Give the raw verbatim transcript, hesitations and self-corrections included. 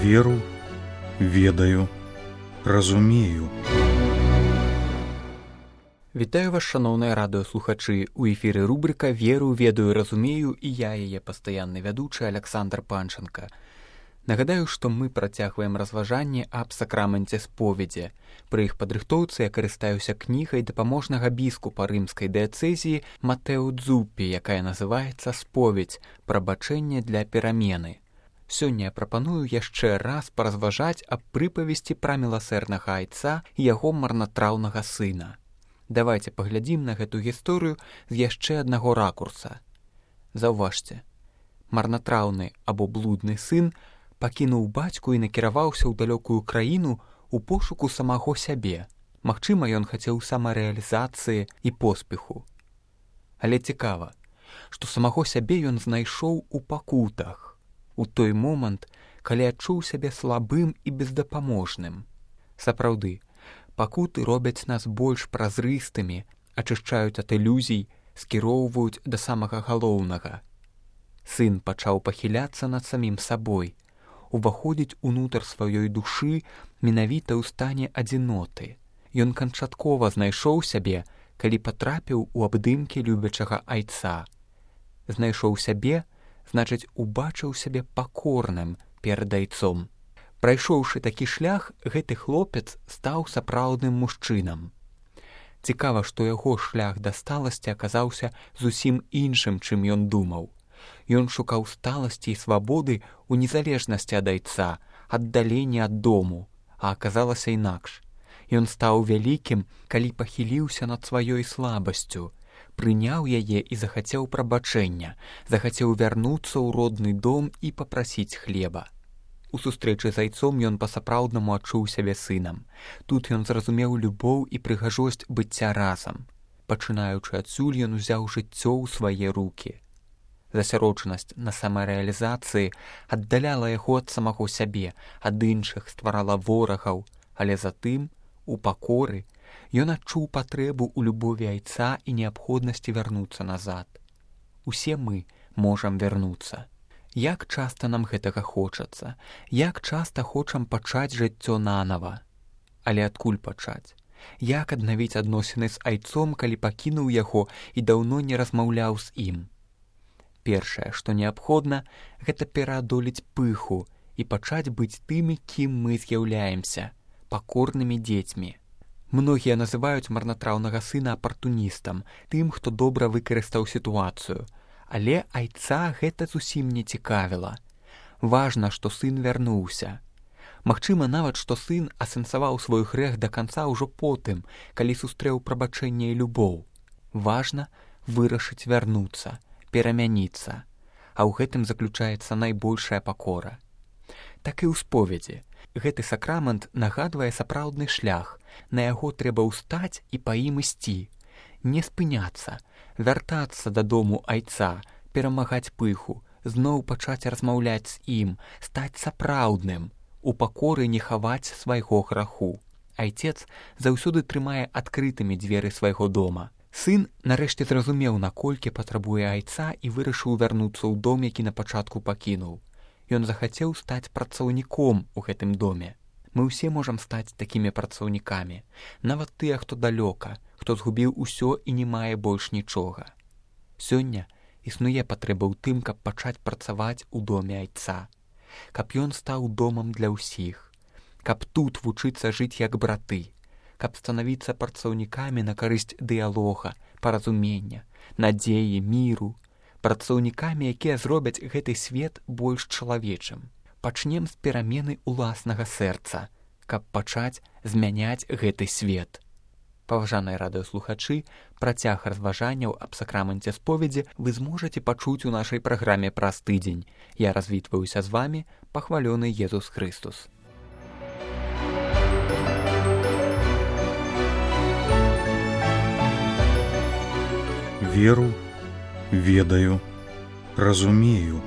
Веру, ведаю, разумею. Вітаю вас, шаноўныя радыёслухачы. У эфіры рубрыка «Веру, ведаю, разумею» і я, яе пастаянны вядучы Аляксандр Панченка. Нагадаю, што мы працягваем разважанне аб сакраменце споведзі. Пры іх падрыхтоўцы я карыстаюся кнігай дапаможнага біскупа рымскай дыяцэзіі Матэо Дзуппі, якая называецца «Споведь. Прабачэнне для перамены». Сёння я прапаную яшчэ раз паразважаць аб прыпавесці пра міласэрнага айца і яго марнатраўнага сына. Давайте паглядзім на гэту гісторыю з яшчэ аднаго ракурса. Заўважце, марнатраўны або блудны сын пакінуў бацьку і накіраваўся ў далёкую краіну у пошуку самого сябе. Магчыма, ён хацеў самарэалізацыі і поспеху. Але цікава, што самого сябе ён знайшоў у пакутах, у той момант, калі адчуў сябе слабым і бездапаможным. Сапраўды, пакуты робяць нас больш празрыстымі, ачышчаюць ад ілюзій, скіроўваюць да самага галоўнага. Сын пачаў пахіляцца над самім сабой, уваходзіць унутр сваёй душы менавіта ў стане адзіноты. Ён канчаткова знайшоў сябе, калі патрапіў у абдымкі любячага айца. Знайшоў сябе, значыць, убачыў сябе пакорным перад айцом. Прайшоўшы такі шлях, гэты хлопец стаў сапраўдным мужчынам. Цікава, што яго шлях да сталасці аказаўся зусім іншым, чым ён думаў. Ён шукаў сталасці і свабоды ў незалежнасці ад айца, аддалення ад дому, а аказалася інакш. Ён стаў вялікім, калі пахіліўся над сваёй слабасцю, прыняў яе і захацеў прабачэння, захацеў вярнуцца ў родны дом і папрасіць хлеба. У сустрэчы з айцом ён па-сапраўднаму адчуў сябе сынам. Тут ён зразумеў любоў і прыгажосць быцця разам. Пачынаючы адсюль, ён узяў жыццё ў свае рукі. Засяроджанасць на самарэалізацыі аддаляла яго ад самого сябе, ад іншых, стварала ворагаў, але затым, у пакоры, ён адчуў патрэбу ў любові айца і неабходнасці вярнуцца назад. Усе мы можам вярнуцца. Як часта нам гэтага хочацца, як часта хочам пачаць жыццё нанава. Але адкуль пачаць? Як аднавіць адносіны з айцом, калі пакінуў яго і даўно не размаўляў з ім? Першае, што неабходна, гэта пераадолець пыху і пачаць быць тымі, кім мы з'яўляемся, пакорнымі дзецьмі. Многія называюць марнатраўнага сына апартуністам, тым, хто добра выкарыстаў сітуацыю. Але айца гэта зусім не цікавіла. Важна, што сын вярнуўся. Магчыма нават, што сын асэнсаваў свой грэх да канца ўжо потым, калі сустрэў прабачэнне і любоў. Важна вырашыць вярнуцца, перамяніцца, а ў гэтым заключаецца найбольшая пакора. Так і ў споведзі. Гэты сакрамент нагадвае сапраўдны шлях, на яго трэба ўстаць і па ім ісці. Не спыняцца, вяртацца дадому айца, перамагаць пыху, зноў пачаць размаўляць з ім, стаць сапраўдным, у пакоры не хаваць свайго граху. Айцец заўсёды трымае адкрытымі дзверы свайго дома. Сын нарэшце зразумеў, наколькі патрабуе айца і вырашыў вярнуцца ў дом, які на пачатку пакінуў. Ён захацеў стаць працаўніком у гэтым доме. Мы ўсе можам стаць такімі працаўнікамі, нават тыя, хто далёка, хто згубіў усё і не мае больш нічога. Сёння існуе патрэба ў тым, каб пачаць працаваць у доме айца, каб ён стаў домам для ўсіх, каб тут вучыцца жыць як браты, каб станавіцца працаўнікамі на карысць дыялога, паразумення, надзеі, міру, працаўнікамі, якія зробяць гэты свет больш чалавечым. Пачнем з перамены ўласнага сэрца, каб пачаць змяняць гэты свет. Паважаныя радыёслухачы, працяг разважанняў аб сакраменце споведзі вы зможаце пачуць у нашай праграме праз тыдзень. Я развітваюся з вамі, пахвалёны Езус Хрыстус. Веру, ведаю, разумею.